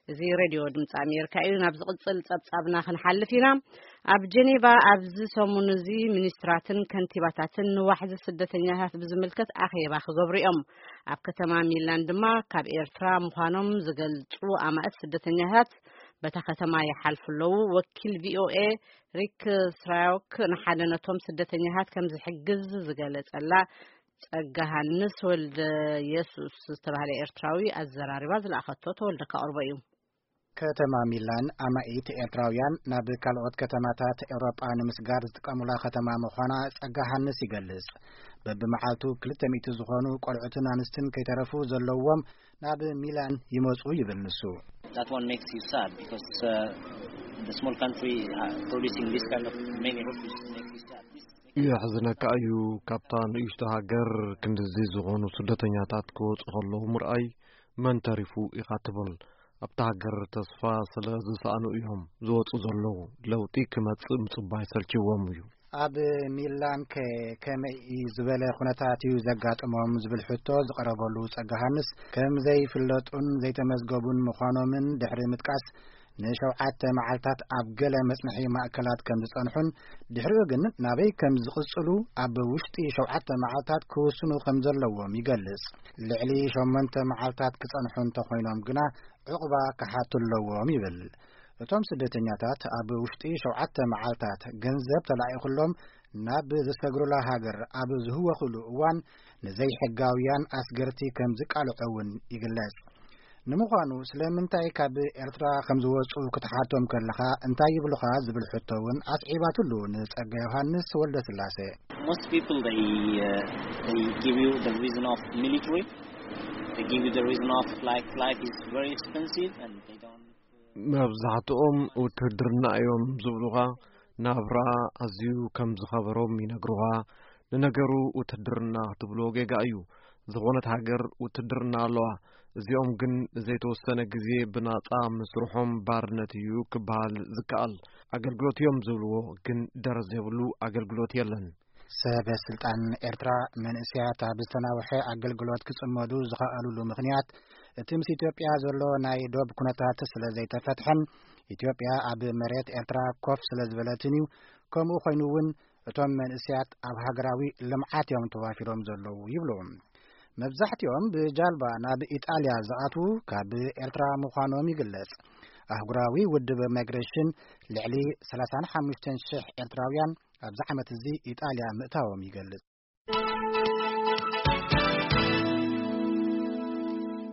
እዚ ሬድዮ ድምፂ ኣሜሪካ እዩ። ናብ ዝቕፅል ፀብፃብና ክንሓልፍ ኢና። ኣብ ጀኔቫ ኣብዚ ሰሙን እዚ ሚኒስትራትን ከንቲባታትን ንዋሕዚ ስደተኛታት ብዝምልከት ኣኼባ ክገብሩ እዮም። ኣብ ከተማ ሚላን ድማ ካብ ኤርትራ ምዃኖም ዝገልጹ ኣማእት ስደተኛታት በታ ከተማ ይሓልፉ ኣለዉ። ወኪል ቪኦኤ ሪክ ስራዮክ ንሓደ ነቶም ስደተኛታት ከም ዝሕግዝ ዝገለጸላ ጸጋሃንስ ወልደ የሱስ ዝተባህለ ኤርትራዊ ኣዘራሪባ ዝለኣኸቶ ተወልደ ካቕርቦ እዩ። ከተማ ሚላን ኣማኢት ኤርትራውያን ናብ ካልኦት ከተማታት ኤውሮጳ ንምስጋር ዝጥቀሙላ ከተማ ምዃና ጸጋሃንስ ይገልጽ። በብመዓልቱ ክልተ ሚእቲ ዝኾኑ ቆልዑትን ኣንስትን ከይተረፉ ዘለዎም ናብ ሚላን ይመጹ ይብል ንሱ። That one makes you sad because uh, the small country uh, producing this kind of many refugees makes you sad. This makes you sad. የሕዝነካ እዩ። ካብታ ንእሽቶ ሃገር ክንድዚ ዝኾኑ ስደተኛታት ክወፁ ከለዉ ምርኣይ መን ተሪፉ ኢኻ ትብል። ኣብታ ሃገር ተስፋ ስለ ዝሰኣኑ እዮም ዝወፁ ዘለዉ። ለውጢ ክመፅእ ምፅባይ ሰልችዎም እዩ። ኣብ ሚላን ከ ከመይ ዝበለ ኩነታት እዩ ዘጋጥሞም ዝብል ሕቶ ዝቐረበሉ ጸጋሃንስ ከም ዘይፍለጡን ዘይተመዝገቡን ምዃኖምን ድሕሪ ምጥቃስ ንሸውዓተ መዓልታት ኣብ ገለ መጽንሒ ማእከላት ከም ዝጸንሑን ድሕሪኡ ግን ናበይ ከም ዝቕጽሉ ኣብ ውሽጢ ሸውዓተ መዓልታት ክውስኑ ከም ዘለዎም ይገልጽ። ልዕሊ ሸሞንተ መዓልታት ክጸንሑ እንተኾይኖም ግና ዕቑባ ክሓቱ ኣለዎም ይብል። እቶም ስደተኛታት ኣብ ውሽጢ ሸውዓተ መዓልታት ገንዘብ ተላኢኹሎም ናብ ዝሰግሩላ ሃገር ኣብ ዝህወኹሉ እዋን ንዘይሕጋውያን ኣስገርቲ ከም ዝቃልዖ እውን ይግለጽ። ንምዃኑ ስለምንታይ ካብ ኤርትራ ከም ዝወጹ ክትሓቶም ከለኻ እንታይ ይብሉኻ ዝብል ሕቶ እውን ኣስዒባትሉ ንጸጋ ዮሃንስ ወልደ ስላሴ። Most people they uh, they give you the reason of military. They give you the reason of like life is very expensive and they don't. መብዛሕትኦም ውትድርና እዮም ዝብሉኻ። ናብራ ኣዝዩ ከም ዝኸበሮም ይነግሩኻ። ንነገሩ ውትድርና ክትብሎ ጌጋ እዩ። ዝኾነት ሃገር ውትድርና ኣለዋ። እዚኦም ግን ዘይተወሰነ ግዜ ብናጻ ምስርሖም ባርነት እዩ ክበሃል ዝከኣል። ኣገልግሎት እዮም ዝብልዎ ግን ደረዝ የብሉ ኣገልግሎት የለን። ሰበ ስልጣን ኤርትራ መንእሰያት ኣብ ዝተናውሐ ኣገልግሎት ክጽመዱ ዝኸኣሉሉ ምኽንያት እቲ ምስ ኢትዮጵያ ዘሎ ናይ ዶብ ኩነታት ስለ ዘይተፈትሐን ኢትዮጵያ ኣብ መሬት ኤርትራ ኮፍ ስለ ዝበለትን እዩ። ከምኡ ኮይኑ እውን እቶም መንእሰያት ኣብ ሃገራዊ ልምዓት እዮም ተዋፊሮም ዘለዉ ይብሉ። መብዛሕትኦም ብጃልባ ናብ ኢጣልያ ዝኣትዉ ካብ ኤርትራ ምዃኖም ይግለጽ። ኣህጉራዊ ውድብ ማይግሬሽን ልዕሊ ሰላሳን ሓሙሽተን ሽሕ ኤርትራውያን ኣብዚ ዓመት እዚ ኢጣልያ ምእታዎም ይገልጽ።